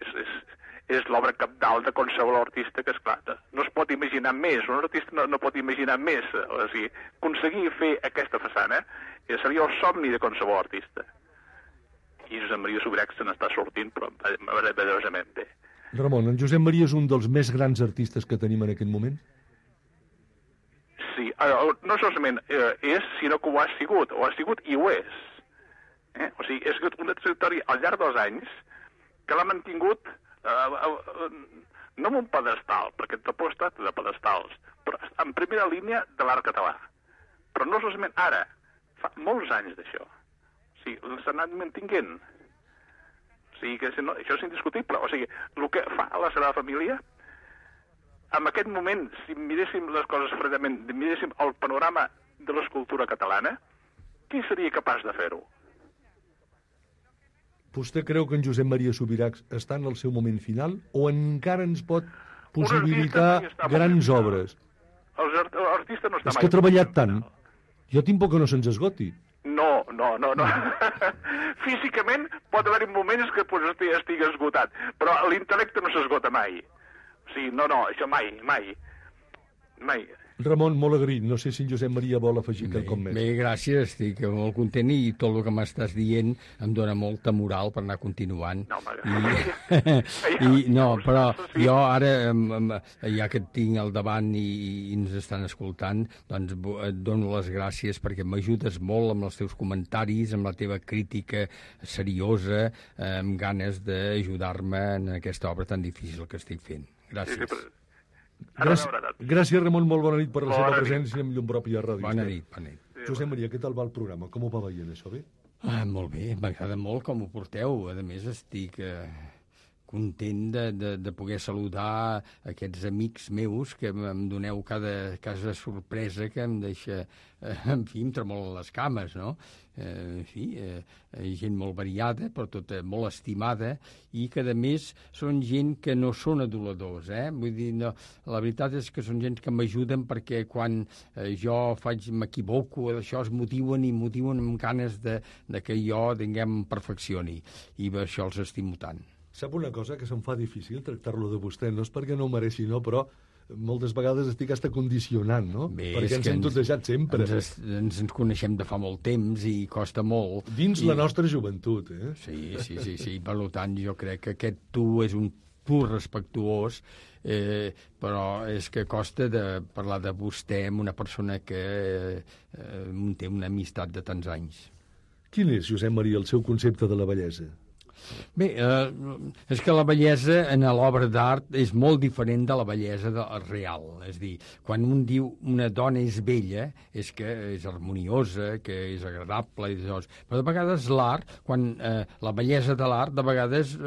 és l'obra cabdal de qualsevol artista, que esclar, no es pot imaginar més, un artista no pot imaginar més, o sigui, aconseguir fer aquesta façana seria el somni de qualsevol artista. I Josep Maria Subirachs se n'està sortint, però meravellosament bé. Ramon, en Josep Maria és un dels més grans artistes que tenim en aquest moment? Sí, no solament és, sinó que ho ha sigut i ho és. O sigui, és una trajectòria al llarg dels anys que l'ha mantingut no en un pedestal, perquè tampoc ha estat de pedestals, però en primera línia de l'art català. Però no solament ara, fa molts anys d'això. O sigui, s'ha anat mantinguent. O sigui, que això és indiscutible. O sigui, el que fa a la Sagrada Família, en aquest moment, si miréssim les coses fredament, miréssim el panorama de l'escultura catalana, qui seria capaç de fer-ho? Vostè creu que en Josep Maria Subirachs està en el seu moment final o encara ens pot possibilitar grans obres? L'artista no està mai... És que ha treballat tant. Jo tinc por que no se'ns esgoti. No. Físicament pot haver-hi moments que estigui esgotat, però l'intel·lecte no s'esgota mai. O sigui, no, això mai. Ramon, molt agraït. No sé si en Josep Maria vol afegir quelcom més. Bé, gràcies. Estic molt content i tot el que m'estàs dient em dona molta moral per anar continuant. Però jo ara, ja que et tinc al davant i ens estan escoltant, doncs et dono les gràcies perquè m'ajudes molt amb els teus comentaris, amb la teva crítica seriosa, amb ganes d'ajudar-me en aquesta obra tan difícil que estic fent. Gràcies. Gràcies, Ramon, molt bona nit per la seva presència amb llum pròpia a Ràdio Bona nit. Josep Maria, què tal va el programa? Com ho va veient, això bé? Molt bé, m'agrada molt com ho porteu. A més, estic content de poder saludar aquests amics meus que em doneu cada sorpresa que em deixa, en fi, em tremolen les cames, no? En fi, gent molt variada, però tota molt estimada, i que, a més, són gent que no són aduladors, Vull dir, no, la veritat és que són gent que m'ajuden perquè quan jo m'equivoco, això es motiven amb ganes de que jo, diguem, perfeccioni. I per això els estimo tant. Sap una cosa que se'm fa difícil tractar-lo de vostè? No és perquè no ho mereixi, no, però moltes vegades estic hasta condicionant, no? Bé, perquè ens hem tutejat sempre. Ens coneixem de fa molt temps i costa molt. Dins la nostra joventut, Sí. Per tant, jo crec que aquest tu és un tu respectuós, però és que costa de parlar de vostè amb una persona que té una amistat de tants anys. Quin és, Josep Maria, el seu concepte de la bellesa? Bé, és que la bellesa en l'obra d'art és molt diferent de la bellesa real. És a dir, quan un diu una dona és bella, és que és harmoniosa, que és agradable, però de vegades l'art, quan la bellesa de l'art, de vegades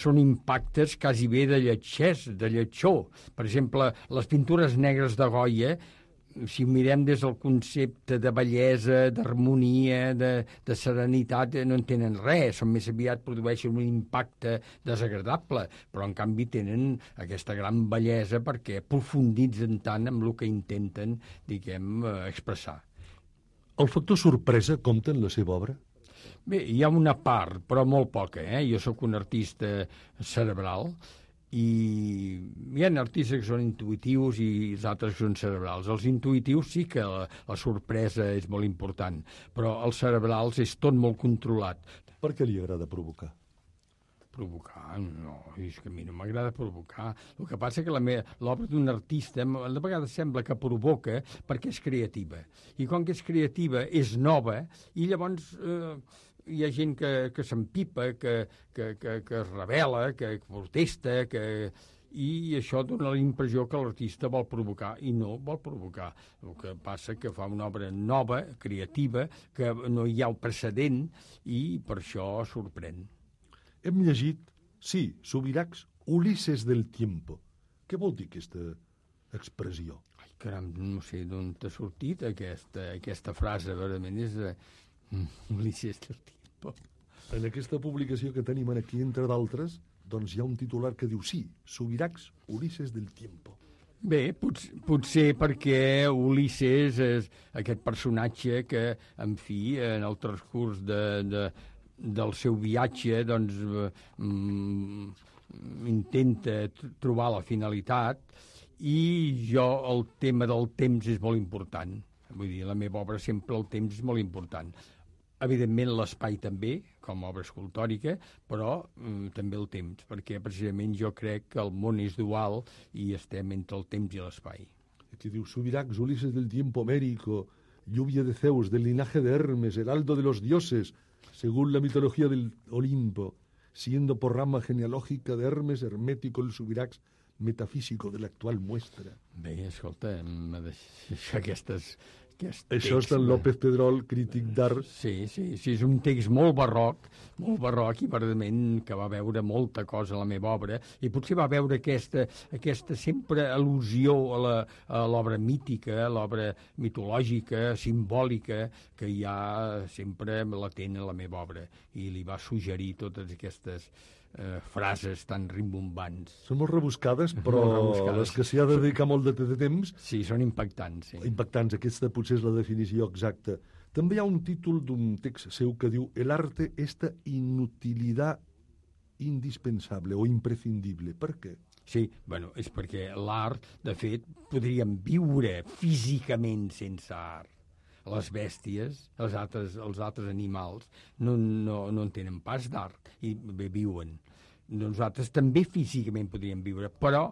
són impactes quasi bé de lletjor. Per exemple, les pintures negres de Goya, si ho mirem des del concepte de bellesa, d'harmonia, de serenitat, no en tenen res, són més aviat produeixen un impacte desagradable, però en canvi tenen aquesta gran bellesa perquè aprofunditzen tant amb el que intenten, diguem, expressar. El factor sorpresa compta en la seva obra? Bé, hi ha una part, però molt poca, Jo sóc un artista cerebral, i hi ha artistes que són intuitius i els altres que són cerebrals. Els intuitius sí que la sorpresa és molt important, però els cerebrals és tot molt controlat. Per què li agrada provocar? Provocar? No, és que a mi no m'agrada provocar. El que passa que l'obra d'un artista de vegades sembla que provoca perquè és creativa. I com que és creativa, és nova, i llavors hi ha gent que s'empipa, que es rebel·la, que protesta, i això dona la impressió que l'artista vol provocar, i no vol provocar. El que passa que fa una obra nova, creativa, que no hi ha el precedent, i per això sorprèn. Hem llegit, sí, Subirachs, Ulises del tiempo. Què vol dir aquesta expressió? Ai, caram, no sé d'on t'ha sortit aquesta frase, verament és Ulises del tiempo. En aquesta publicació que tenim aquí, entre d'altres, doncs hi ha un titular que diu sí, Subirachs, Ulises del tiempo. Bé, potser perquè Ulisses és aquest personatge que, en fi, en el transcurs del seu viatge, doncs, intenta trobar la finalitat, i el tema del temps és molt important. Vull dir, la meva obra sempre el temps és molt important. Evidentment l'espai també, com a obra escultòrica, però també el temps, perquè precisament jo crec que el món és dual i estem entre el temps i l'espai. Aquí diu, Subirachs, Ulises del tiempo homérico, lluvia de Zeus, del linaje de Hermes, heraldo de los dioses, según la mitología del Olimpo, siendo por rama genealógica de Hermes, hermético el Subirachs metafísico de l'actual muestra. Bé, escolta, aquestes... Això és d'en López Pedrol, crític d'art. Sí, és un text molt barroc i verdament que va veure molta cosa a la meva obra, i potser va veure aquesta sempre al·lusió a l'obra mítica, a l'obra mitològica, simbòlica, que hi ha sempre latent a la meva obra, i li va suggerir totes aquestes frases tan rimbombants. Són molt rebuscades, però les que s'hi ha de dedicar molt de temps... Sí, són impactants. Sí. Impactants, aquesta potser és la definició exacta. També hi ha un títol d'un text seu que diu «El arte esta inutilidad indispensable o imprescindible». Per què? Sí, bueno, és perquè l'art, de fet, podríem viure físicament sense art. Les bèsties, els altres animals, no en tenen pas d'art i bé viuen. Nosaltres també físicament podríem viure, però,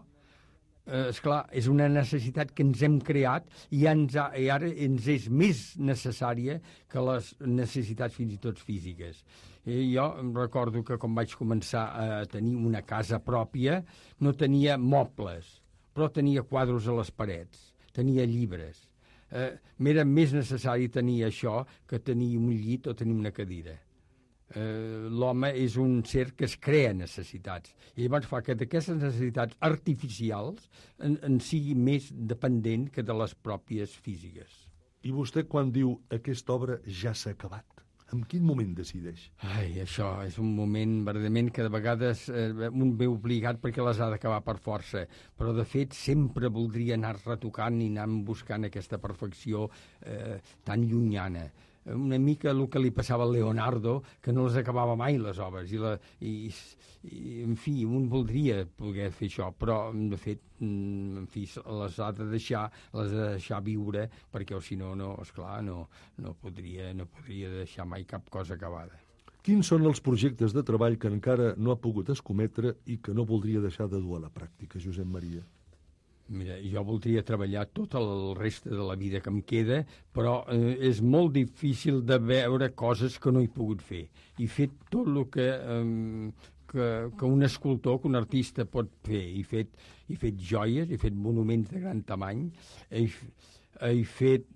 esclar, és una necessitat que ens hem creat i ara ens és més necessària que les necessitats fins i tot físiques. Jo em recordo que quan vaig començar a tenir una casa pròpia no tenia mobles, però tenia quadros a les parets, tenia llibres. M'era més necessari tenir això que tenir un llit o tenir una cadira. L'home és un ser que es crea necessitats, i llavors fa que d'aquestes necessitats artificials en sigui més dependent que de les pròpies físiques. I vostè quan diu aquesta obra ja s'ha acabat, en quin moment decideix? Ai, això és un moment verdament que de vegades un ve obligat perquè les ha d'acabar per força, però de fet sempre voldria anar retocant i anar buscant aquesta perfecció tan llunyana. Una mica el que li passava a Leonardo, que no les acabava mai les obres, i en fi, un voldria poder fer això, però de fet en fi, les ha de deixar viure, perquè o si no, esclar, no podria deixar mai cap cosa acabada. Quins són els projectes de treball que encara no ha pogut escometre i que no voldria deixar de dur a la pràctica, Josep Maria? Mira, jo voldria treballar tot el reste de la vida que em queda, però és molt difícil de veure coses que no he pogut fer. He fet tot el que un escultor, que un artista pot fer. He fet joies, he fet monuments de gran tamany, he fet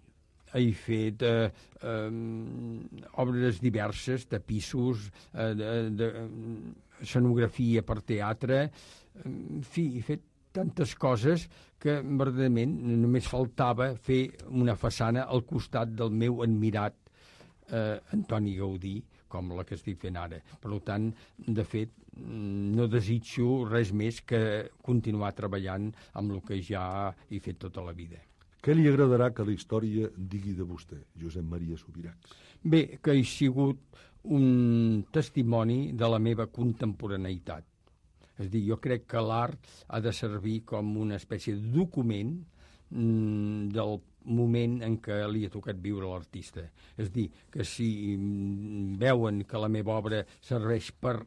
obres diverses, tapissos, escenografia per teatre, en fi, he fet tantes coses que verdaderament només faltava fer una façana al costat del meu admirat Antoni Gaudí, com la que estic fent ara. Per tant, de fet, no desitjo res més que continuar treballant amb el que ja he fet tota la vida. Què li agradarà que la història digui de vostè, Josep Maria Subirachs? Bé, que he sigut un testimoni de la meva contemporaneïtat. És a dir, jo crec que l'art ha de servir com una espècie de document del moment en què li ha tocat viure l'artista. És a dir, que si veuen que la meva obra serveix per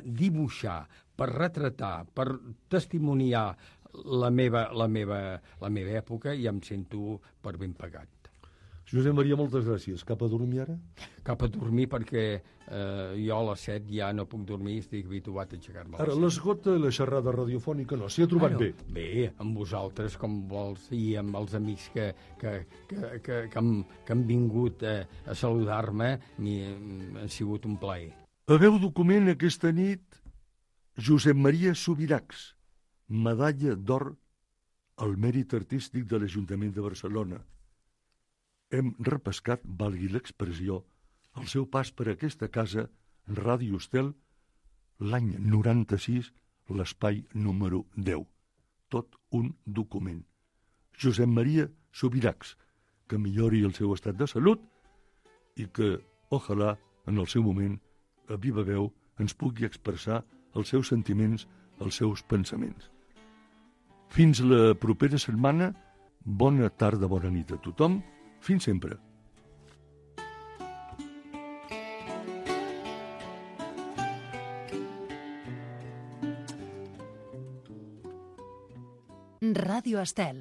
dibuixar, per retratar, per testimoniar la meva època, ja em sento per ben pagat. Josep Maria, moltes gràcies. Cap a dormir ara? Cap a dormir perquè jo a les 7 ja no puc dormir, estic habituat a aixecar-me. Ara, l'esgota la xerrada radiofònica no, s'hi ha trobat bé? Bé, amb vosaltres, com vols, i amb els amics que han vingut a saludar-me, ha sigut un plaer. Haveu document aquesta nit Josep Maria Subirachs, medalla d'or al mèrit artístic de l'Ajuntament de Barcelona. Hem repescat, valgui l'expressió, el seu pas per aquesta casa, Ràdio Estel, l'any 96, l'espai número 10. Tot un document. Josep Maria Subirachs, que millori el seu estat de salut i que, ojalà, en el seu moment, a viva veu, ens pugui expressar els seus sentiments, els seus pensaments. Fins la propera setmana, bona tarda, bona nit a tothom, fins sempre. Ràdio Estel.